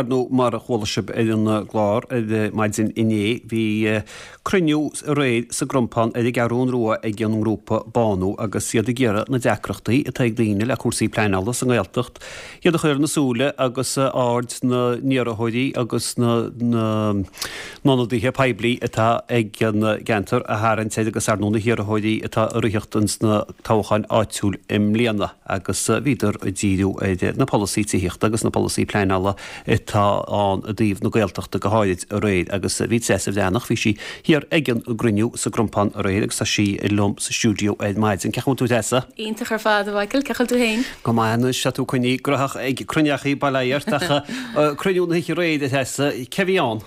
Ar ndóigh, mar a chuala sibh ar an gclár ar maidin inné, bhí cruinniú aréir sa gCrompán ar an gCeathrún Rua ag an ngrúpa Bánú agus iad ag iarraidh na deacrachtaí atá ag daoine le cúrsaí pleanála sa nGaeltacht, iad a chur ar na súile agus aird na n-iarrthóirí agus na n-ionadaithe poiblí atá ag an gceantar a tharraingt air agus ar ndóigh na hiarrthóirí atá ag ritheacht ins na toghcháin áitiúil i mbliana. agus bhíodar ag díriú ar na polasaí tithíochta agus na polasaí pleanála atá ann i dtaobh na Gaeltachta go háirid aréir agus bhí Treasa Bhreathnach, bhí sí thiar ag an gcruinniú sa gCrompán aréir agus tá sí liom sa stiúideo ar maidin. Cén chaoi a bhfuil tú a Threasa? Iontach ar fad, a Mhichael. Cén chaoi a bhfuil tú féin? Go maith anois, tá tú coinnithe graitheach ag cruinneachaí bail ó Dhia ort ach cruinniú na hoíche aréir a Threasa, cé bhí ann?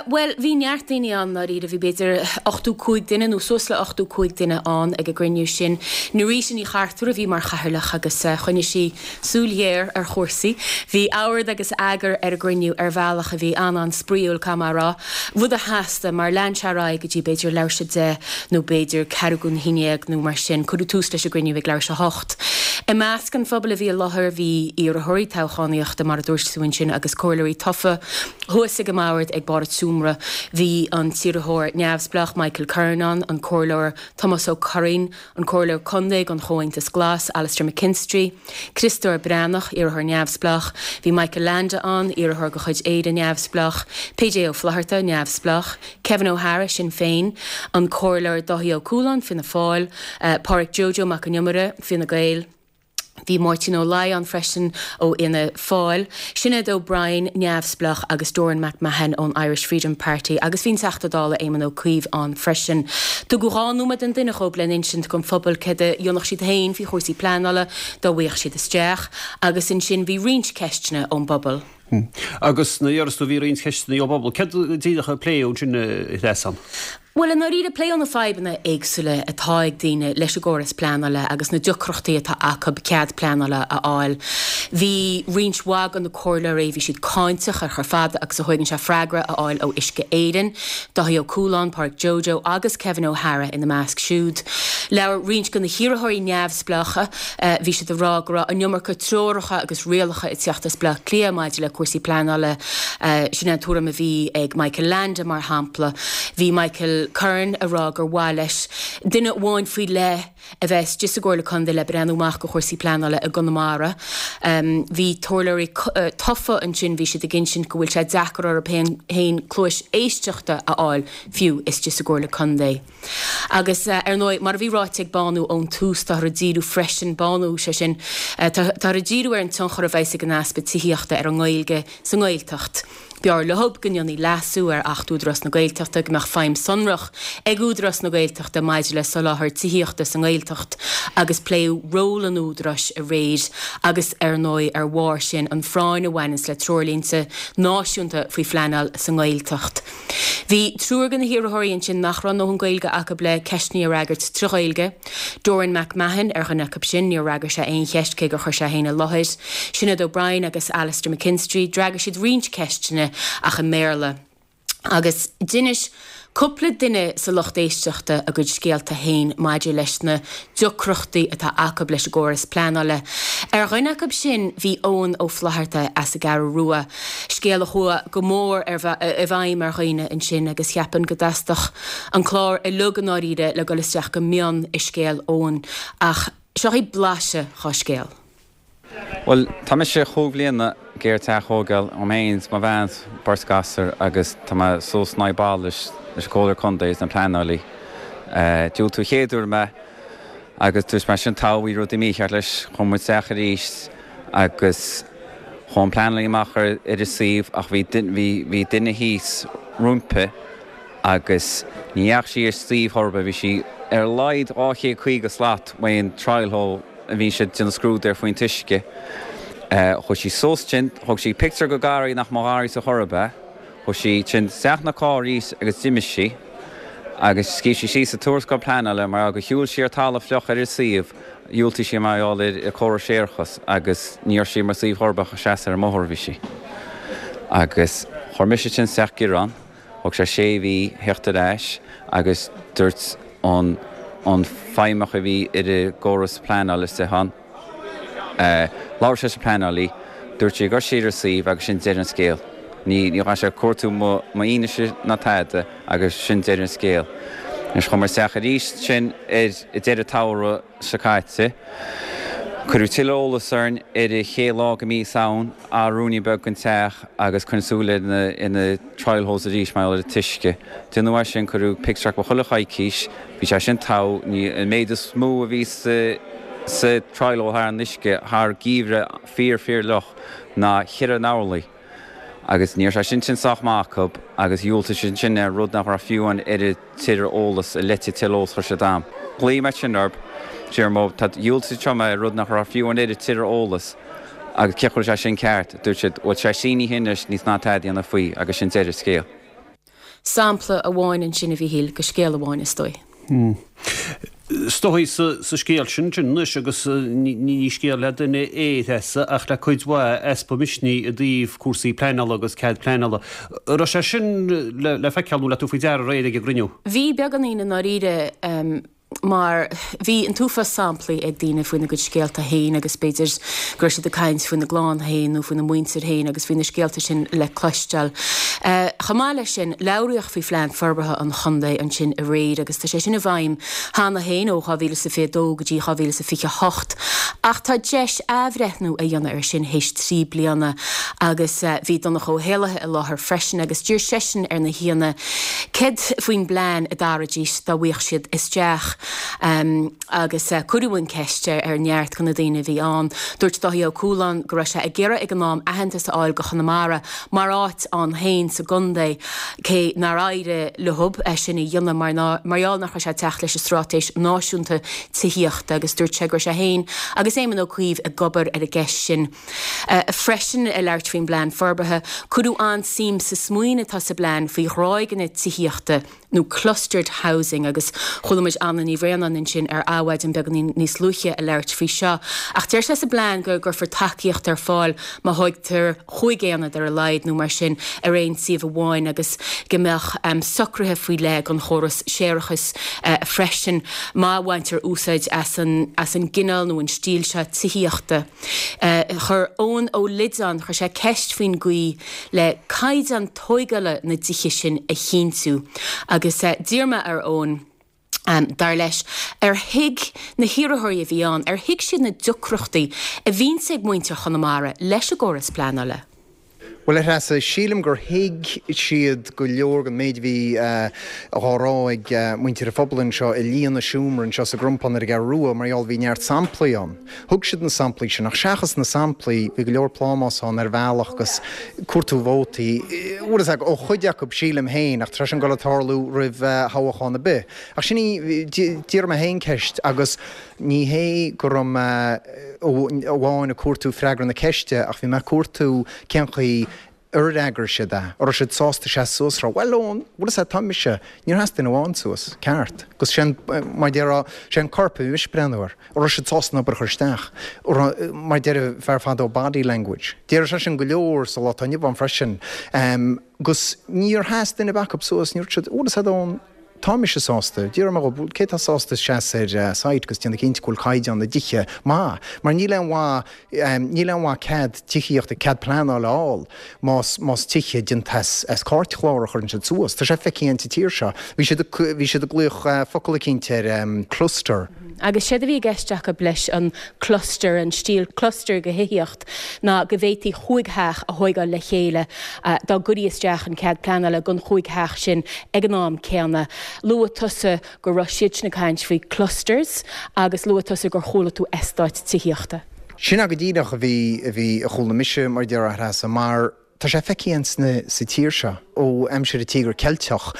Bhuel, bhí neart daoine ann, ndáiríre. Bhí b'fhéidir 85 duine nó suas le 85 duine ann ag an gcruinniú sin. Norita Ní Chartúir a bhí mar chathaoirleach agus choinnigh sí súil ghéar ar chúrsaí. Bhí ord agus eagar ar an gcruinniú ar bhealach a bhí an-an-spraíúil, caithfidh mé a rá. Rud a theastaigh, mar lean sé ar aghaidh go dtí b'fhéidir leathuair tar éis a 10 nó b'fhéidir ceathrú go haon dhéag nó mar sin. Cuireadh tús leis an gcruinniú ag leathuair tar éis a hocht. I measc an phobail a bhí i láthair bhí iarrthóirí toghchánaíochta, mar a dúirt tú ansin, agus comhairleoirí tofa. Thuas ag an mbord ag barr an tseomra bhí an t-iarrthóir neamhspleách Michael Curran ann, an Comhairleoir Tomás Ó Curraoin, an Comhairleoir Contae don Chomhaontas Glas, Alastair McKinstry, Criostóir Breathnach, iarrthóir neamhspleách, bhí Michael Leainde ann, iarrthóir de chuid Éire Neamhspleách, PJ Ó Flatharta, neamhspleách, Kevin O'Hara, Sinn Féin, an Comhairleoir Dáithí Ó Cualáin, Fianna Fáil, Pádhraic Joe Joe Mac an Iomaire, Fine Gael. Bhí Máirtín Ó Laoi ann freisin ó Fhianna Fáil, Sinéad O'Brien, Neamhspleách, agus Doireann McMahon ón Irish Freedom Party agus bhí an Teachta Dála Éamon Ó Cuív ann freisin. Tugadh 2 nóiméad don duine dhóibh le n-insint don phobal céard a dhéanfadh siad féin faoi chúrsaí pleanála dá bhfaigheadh siad isteach agus ansin bhí roinnt ceisteanna ón bpobal. Agus nuair a déarfas tú bhí roinnt ceisteanna ón bpobal, céard díreach a pléadh ansin a Threasa? Bhuel, i ndáiríre, pléadh na fadhbanna éagsúla atá ag daoine leis an gcóras pleanála agus na deacrachtaí atá acu cead pleanála a fháil. Bhí roinnt mhaith de na comhairleoirí, bhí siad cáinteach ar chomh fada agus a thóigeann sé freagra a fháil ó Uisce Éireann, Dáithí Ó Cualáin, Pádraic Joe Joe agus Kevin O'Hara ina measc siúd. Labhair roinnt de na hiarrthóirí neamhspleácha, bhí siad ag rá go raibh an iomarca treoracha agus rialacha ag teacht as Baile Átha Cliath maidir le cúrsaí pleanála. Sin é an tuairim a bhí ag Michael Leainde, mar shampla. Bhí Michael Curran ag rá gur mhaith leis duine amháin faoi leith a bheith istigh sa gComhairle Contae le breathnú amach do chúrsaí pleanála i gConamara. Bhí comhairleoirí tofa ansin, bhí siad ag insint go bhfuil sé deacair orthu féin cluais éisteachta a fháil fiú istigh sa gComhairle Contae. Agus, ar ndóigh, mar a bhí ráite ag Bánú ón tús, táthar ag díriú freisin, Bánú, sé sin, táthar ag díriú ar an tionchar a bheas ag an easpa tithíochta ar an nGaeilge sa nGaeltacht. B'fhearr leo go ndéanfaí leasú ar Acht Údarás na Gaeltachta, go mbeadh feidhm sonrach ag Údarás na Gaeltachta maidir le soláthar tithíochta sa nGaeltacht agus pléadh ról an Údaráis aréir agus, ar ndóigh, ar bharr sin, an phráinn a bhaineanns le treoirlínte náisiúnta faoi phleanáil sa nGaeltacht. Bhí triúr de na hiarrthóirí ansin nach raibh a ndóthain Gaeilge acu le ceisteanna a fhreagairt trí Ghaeilge. Doireann McMahon ar dhuine acu sin, níor fhreagair sé aon cheist cé gur chuir sé é féin i láthair. Sinéad O'Brien agus Alastair McKinstry, d'fhreagair siad roinnt ceisteanna ach i mBéarla. Agus d'inis cúpla duine sa lucht éisteachta a gcuid scéalta féin maidir leis na deacrachtaí atá acu leis an gcóras pleanála. Ar dhuine acu sin bhí Eoghan Ó Flatharta as an gCeathrú Rua, scéal a chuaigh go mór i bhfeidhm ar dhaoine ansin agus cheapfainn go dteastódh an clár uilig i ndáiríre le dul isteach go mion i scéal Eoghain ach seo í blaiseadh dhá scéal. Bhuel, tá mise chúig bhliana ag iarraidh teach a thógáil dom féin 's mo bhean 's beirt gasúr agus tá mé suas in aghaidh balla leis an Comhairleoir Contae is na pleanálaí. Diúltaíodh chéad uair mé agus dúirt mé sin togha bhí rudaí mícheart leis, chuaigh muid isteach arís agus chuaigh an pleanálaí amach ar an suíomh ach bhí bhí duine thíos roimpi agus ní dheachaigh sí ar suíomh chor ar bith, bhí sí ar a laghad 250 slat uaidh an trial hole. a bhí siad ag déanamh scrúdú air faoin t-uisce. Chuaigh sí suas ansin, thóg sí pictiúr de gharraí nach mba gharraí ar chor ar bith. Chuaigh sí ansin isteach ina carr arís agus d'imigh sí agus scríobh sí síos sa tuarascáil pleanála mar gur shiúil sí ar talamh fliuch ar an suíomh, dhiúltaigh sí mar gheall ar córas séarachais agus ní raibh sí mar suíomh chor ar bith ach seasamh ar an mbóthar a bhí sí. Agus chuir mise ansin isteach gearán. Thóg sé sé mhí theacht ar ais agus dúirt an an feidhmeach a bhí ar an gcóras pleanála istigh ann, labhair sé leis an pleanálaí. Dúirt sí go raibh siad ar suíomh agus sin deireadh an scéil. Ní ghabh sé ag cuartú mo fhianaise ná tada agus sin deireadh an scéil. Anois chuamar isteach arís sin ar deireadh tsamhraidh seo caite. Cuireadh tuilleadh eolas orainn ar an chéad lá de mí Samhain, athrú ruainnín beag den teach agus coinnigh súil ar na trial holes arís mar gheall ar an t-uisce. Déanadh é sin, cuireadh pictiúr acu chuile choicís, bhí sé sin togha, ní an méid is mó a bhí sa sa trial hole thar an uisce thar geimhreadh fíor fíor fhliuch ná cheithre n-orlaí agus ní raibh sé sin sin sách maith acu agus dhiúltaigh siad ansin ar rud nach raibh fiú an oiread tuilleadh eolas a leite tuilleadh eolas chuir siad am. Ghlaoigh mé sin orb, deir mo, tá dhiúltaigh siad mé ar rud nach raibh fiú an oiread tuilleadh eolas agus cé chuir sé sin ceart, dúirt siad, bhuel sé sínithe anois níl ná tada a dhéanamh faoi agus sin deireadh scéil. Sampla amháin ansin a Mhíchíl, de scéal amháin is dóigh. Is dóigh sa scéal sin sin anois agus ní scéal le duine é a Threasa ach le cuid mhaith easpa misnigh i dtaobh cúrsaí pleanála agus cead pleanála. An raibh sé sin le feiceáil nó le tabhairt faoi deara aréir ag an gcruinniú? Bhí beagáinín i ndáiríre. mar bhí an t-uafás samplaí ag daoine faoina gcuid scéalta féin agus b'fhéidir go raibh siad ag caint faoina gclann féin nó faoina muintir féin agus bhí na scéalta sin le cloisteáil. Chomh maith leis sin, labhraíodh faoi Phlean Forbartha an Chontae ansin aréir agus tá sé sin i bhfeidhm cheana féin ó 2022 go dtí 2028 ach tá deis athbhreithniú a dhéanamh air sin théis 3 bliana agus bhí Donncha Ó hÉallaithe i láthair freisin agus d'iarr seisean ar na haíonna Céard faoin bplean a d'athróidís dá bhfaigheadh siad isteach? Agus cuireadh an cheist ar neart de na daoine a bhí ann. Dúirt Dáithí Ó Cualáin go raibh sé ag iarraidh ag an am aitheantas a fháil do Chonamara mar áit ann féin sa gcontae, cé nár éirigh leo é sin a dhéanamh mar mar gheall nach raibh sé ag teacht leis an Straitéis Náisiúnta Tithíochta agus dúirt sé go raibh sé féin agus Éamon Ó Cuív ag obair ar an gceist sin. Freisin, ag labhairt faoin bplean forbartha, cuireadh an-suim sa smaoineamh atá sa bplean faoi ghráigeanna tithíochta nó clustered housing agus chuala muid Anna Ní Bhraonáin ansin ar Adhmhaidin beagáinín níos luaithe ag labhairt faoi seo. Ach deir sé sa bplean go gcuirfear tacaíocht ar fáil má thóigtear chúig aonad ar a laghad nó mar sin ar aon suíomh amháin agus go mbeadh socruithe faoi leith don chóras séarachais freisin má bhaintear úsáid as an as an gcineál nó an stíl seo tithíochta. Chuir Eoin Ó Loideáin, chuir sé ceist faoin gcaoi le caighdeán tóigeála na dtithe sin a chinntiú agus d'iarr mé ar Eoin, dar leis, ar thuig na hiarrthóirí a bhí ann, ar thuig siad na deacrachtaí a bhíonns ag muintir Chonamara leis an gcóras pleanála. Bhuel, a Threasa, sílim gur thuig siad go leor den méid a bhí á rá ag muintir an phobail anseo i líon an seomra anseo sa gCrompán ar an gCeathrú Rua mar gheall bhí neart samplaí ann. Thug siad na samplaí sin ach seachas na samplaí bhí go leor plámás ann ar bhealach agus cuartú vótaí, bhfuil fhios agat, ó chuid acu sílim féin ach tá sé sin ag dul ag tarlú roimh thoghchán ar bith. Ach sin í, d'iarr mé féin ceist agus Ní hé go raibh mé amháin ag cuartú freagra na ceiste ach bhí mé ag cuartú cén chaoi ar fhreagair siad é. An raibh siad sásta seasamh suas a rá, bhuel Eoin, bhfuil fhios agat, tá mise, níor sheas duine amháin suas, ceart. Agus sé an, mar a déarfá, sé an corp a bhí mise ag breathnú air. An raibh siad sásta an obair a chur isteach? An raibh, mar a deir fear fadó, body language. Déarfadh sé sin go leor sa lá atá inniu ann freisin. Agus níor sheas duine ar bith acu suas, ní dúirt siad, bhfuil fhios agat Eoin, Tá mise sásta. D'iarr mé dhóibh, cé atá sásta seasamh ar site agus déanamh cinnte go bhfuil caighdeán na dtithe maith? Mar níl aon mhaith, níl aon mhaith cead tithíochta, cead pleanála a fháil más, más tithe déanta as, as cairtchlár a chuireann siad suas. Tá sé feicthe againn sa tír seo. Bhí siad, bhí siad ag glaoch focal eicínt air, cluster. Agus séard a bhí i gceist acu leis an cluster, an stíl cluster de thithíocht, ná go bhféadfaí chúig theach a thóigeáil le chéile dá gcuirí isteach an cead pleanála don chúig theach sin ag an am céanna. Luaigh tusa go raibh siad sin ag caint faoi clusters agus luaigh tusa gur chuala tú eastáit tithíochta. Sin é go díreach a bhí, a bhí, a chuala mise, mar a déarfá, a Threasa, mar tá sé feicthe againn sna, sa tír seo ó aimsir an Tíogar Ceilteach.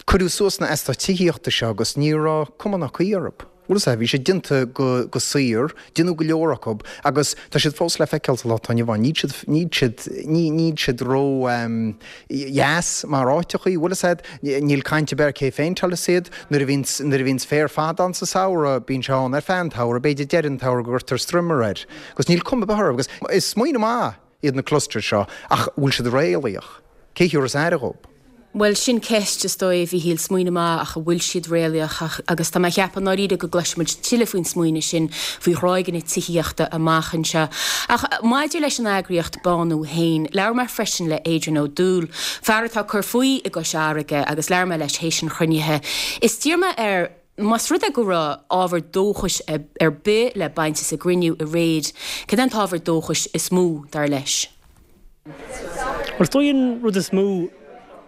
Cuireadh suas na eastáit tithíochta seo agus ní raibh cuma ná caoi orthu. Bhfuil fhios agat, bhí siad déanta go, go saor, déanadh go leor acu agus tá siad fós le feiceáil sa lá atá inniu ann. Níl siad, níl siad, ní, níl siad ró ehm dheas mar áiteachaí, bhfuil fhios agat, níl caint ar bith ar cé phéinteálfas iad. Nuair a bhíonns, nuair a bhíonns féar fada ann sa samhradh, bíonn sé ann ar feadh an tsamhraidh, b'fhéidir deireadh an tsamhraidh go gcuirtear strimmer air. Agus níl cuma ar bith orthu agus is smaoineamh maith iad na clusters seo ach bhfuil siad réalaíoch? Cé thiúrfas aire dhóibh? Bhuel, sin ceist, is dóigh, a Mhíchíl, smaoineamh maith ach an bhfuil siad réalaíoch agus tá mé a cheapadh i ndáiríre go gcloisfidh muid tuilleadh faoin smaoineamh sin faoi ghráigeanna tithíochta amach anseo. Ach maidir leis an eagraíocht Bánú féin, labhair mé freisin le Adrian Ó Dúill, fear atá ag cur faoi i gCois Fharraige agus labhair mé leis théis an chruinnithe. Is d'iarr mé air más rud é go raibh ábhar dóchais ar bith le baint as an gcruinniú aréir, cad é an t-ábhar dóchais is mó, dar leis? Bhuel, is dóigh an rud is mó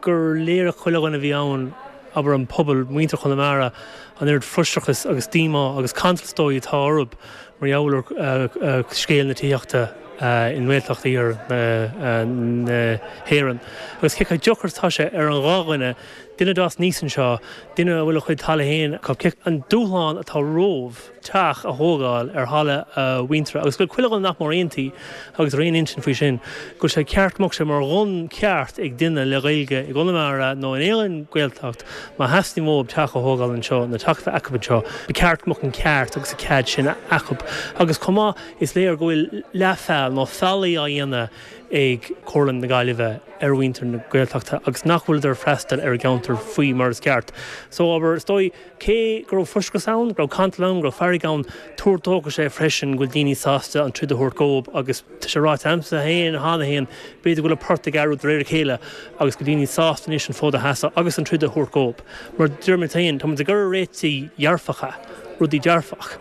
gur léirigh chuile dhuine a bhí ann, abair an pobal, muintir Chonamara, an oiread frustrachas agus díomá agus cantal is dóigh atá orthu mar gheall ar scéal na tithíochta i nGaeltacht iarthar na hÉireann. Agus cé chomh deacair is atá sé ar an ghnáthdhuine, duine a d'fhás aníos anseo, duine a bhfuil a chuid talaimh féin acu, an dúshlán atá rompu. teach a thógáil ar thalamh a mhuintire agus go bhfuil chuile dhuine nach mór aontaithe agus ar aon intinn faoi sin, go bhfuil sé ceart go mbeadh sé mar bhun ceart ag duine le Gaeilge i gConamara nó in aon Ghaeltacht má theastaíonn uathu teach a thógáil anseo nó teach a bheith acu anseo, ba cheart go mbeadh an ceart agus an cead sin acu. Agus chomh maith is léir go bhfuil leathfheall nó faillí á dhéanamh ag Comhairle na Gaillimhe ar mhuintir na Gaeltachta agus nach bhfuileadar ag freastal ar a gceantar faoi mar is ceart. So abair, is dóigh, Cé go raibh frustrachas ann, go raibh cantal ann, go raibh fearg ann, tuar dóchais é freisin go bhfuil daoine sásta an troid a thabhairt dhóib agus tá sé ráite a'msa féin cheana féin, b'fhéidir go bhfuil an port ag athrú de réir a chéile agus go bhfuil daoine sásta anois an fód a sheasamh agus an troid a thabhairt dhóib. Mar deir muid féin, tá muid ag iarraidh réitigh dhearfacha, rudaí dearfach.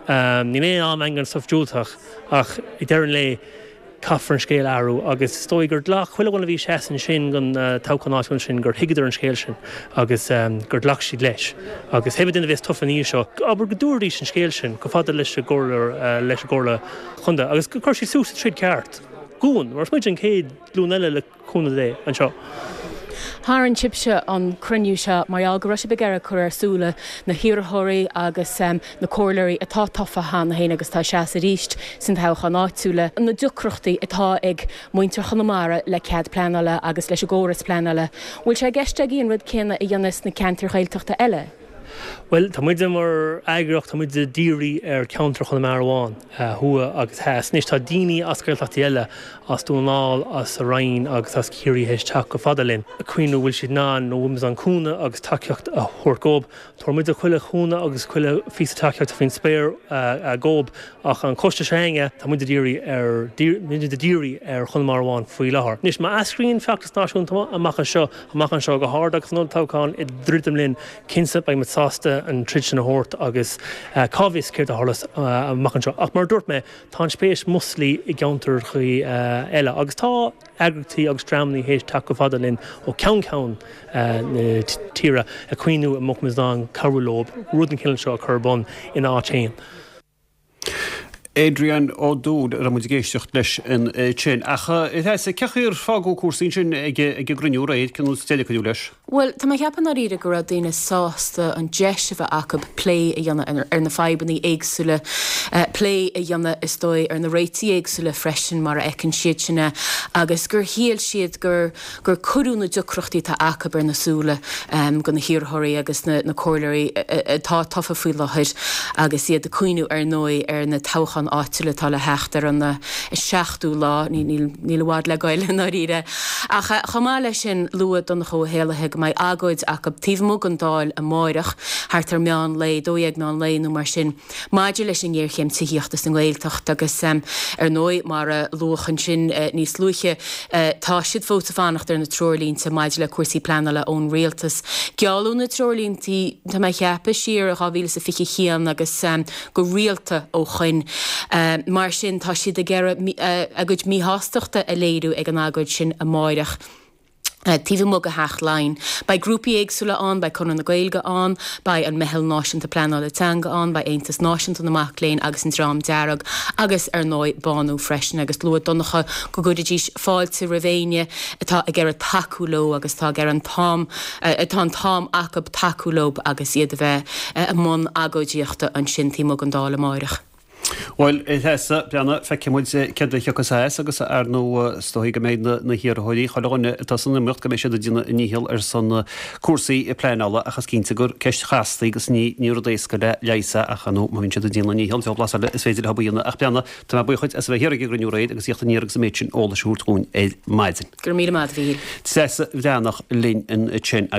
Níl aon am a'inn don stuif diúltach ach ag deireadh an lae, Caithfear an scéal a athrú agus is dóigh gur ghlac chuile dhuine a bhí ag seasamh ansin don toghchán áitiúil ansin gur thuigeadar an scéal sin agus gur ghlac siad leis. Agus pé duine a bheas tofa ina dhiaidh seo, abair go dtabharfaidís an scéal sin chomh fada leis an gcomhairle leis an gcomhairle chontae agus go gcuirfidh siad suas an troid ceart dhúinn mar is muid an chéad ghlúin eile le cúnamh Dé, anseo. Tharraing sibhse an cruinniú seo mar gheall go raibh sibh ag iarraidh cur ar súile na hiarrthóirí agus na comhairleoirí atá tofa cheana féin agus atá ag seasamh arís san toghchán áitiúil, na deacrachtaí atá ag muintir Chonamara le cead pleanála agus leis an gcóras pleanála. Bhfuil sé i gceist agaibh an rud céanna a dhéanamh sna ceantair Ghaeltachta eile? Bhuel, tá muide mar eagraíocht, tá muide dírithe ar cheantar Chonamara amháin, thuaidh agus theas. Anois tá daoine as Gaeltachtaí eile, as Dún na nGall, as an Rinn agus as Ciarraí théis teacht chomh fada linn, ag cuimhniú bhfuil siad in ann nó bhfuil muid in ann cúnamh agus tacaíocht a thabhairt dhóibh. Tabharfaidh muide chuile chúnamh agus chuile phíosa tacaíochta faoin spéir dhóibh ach an coiste seo againne, tá muid dírithe ar, muid dírithe ar Chonamara amháin faoi láthair. Anois má eascraíonn feachtas náisiúnta amach anseo, amach anseo go hard agus an olltoghchán ag druidim linn, Cinnte, beidh muid sásta an troid sin a thabhairt agus cá bhfios céard a tharlós amach anseo. Ach mar a dúirt mé, tá an spéis múscailte i gceantracha eile agus tá eagraíochtaí agus dreamanna théis teacht chomh fada linn ó cheann ceann na tíre ag cuimhniú an mbeadh muid in ann cabhrú leo rud den chineál seo a chur ar bun ina áit féin. Adrian Ó Dúill a raibh muid ag éisteacht leis ansin. Ach a Threasa, cén chaoi ar fágadh cúrsaí ansin ag an gcruinniú aréir, cén deireadh a cuireadh leis? Bhuel, tá mé ag ceapadh i ndáiríre go raibh daoine sásta an deis a bheith acu plé a dhéanamh ar na fadhbanna éagsúla, plé a dhéanamh is dóigh ar na réitigh éagsúla freisin mar a fheiceann siad sin é agus gur shíl siad gur gur cuireadh na deacrachtaí atá acu ar na súile do na hiarrthóirí agus na comhairleoirí atá tofa faoi láthair agus iad ag cuimhniú ar ndóigh ar na toghcháin áitiúla atá le theacht ar an 7ú lá, níl i bhfad le goil i ndáiríre. Ach chomh maith leis sin luaigh Donncha Ó hÉallaithe go mbeidh agóid acu taobh amuigh den Dáil amáireach thart ar meán lae, 12 meán lae nó mar sin. Maidir leis an ngéarchéim tithíochta sa nGaeltacht agus, ar ndóigh, mar a luadh ansin níos luaithe, tá siad fós ag fanacht ar na treoirlínte maidir le cúrsaí pleanála ón Rialtas. Gealladh na treoirlínte, tá mé a cheapadh, siar i 2021 agus go rialta ó shoin. Mar sin, tá siad ag iarraidh a gcuid míshástachta a léiriú ag an agóid sin amáireach. taobh amuigh de Theach Laighean. Beidh grúpaí éagsúla ann, beidh Conradh na Gaeilge ann, beidh an Meitheal Náisiúnta Pleanála Teanga ann, beidh Aontas Náisiúnta na Mac Léinn agus an Dream Dearg agus, ar ndóigh, Bánú freisin agus luaigh Donncha go gcuirfidís fáilte roimh éinne atá ag iarraidh tacú leo agus atá ag iarraidh an t-am, atá an t-am acu tacú leo agus iad a bheith i mbun agóidíochta ansin taobh amuigh den Dáil amáireach. Bhuel, a Threasa, breathnaigh, feicfidh muid céard a thiocfas as agus ar ndóigh is dóigh go mbeidh na hiarrthóirí, chuile dhuine atá san iomaíocht, go mbeidh siad ag déanamh a ndícheall ar son cúrsaí pleanála ach is cinnte gur ceist chasta í agus ní rud éasca le leigheas é ach ar ndóigh má bhíonn siad ag déanamh a ndícheall, deabhal blas eile is féidir leo a dhéanamh ach breathnaigh, tá mé buíoch dhuit as a bheith thiar ag an gcruinniú aréir agus theacht aniar agus an méid sin eolais a thabhairt dhúinn ar maidin. Go raibh míle maith agat, a Mhíchíl. Treasa Bhreathnach linn ansin.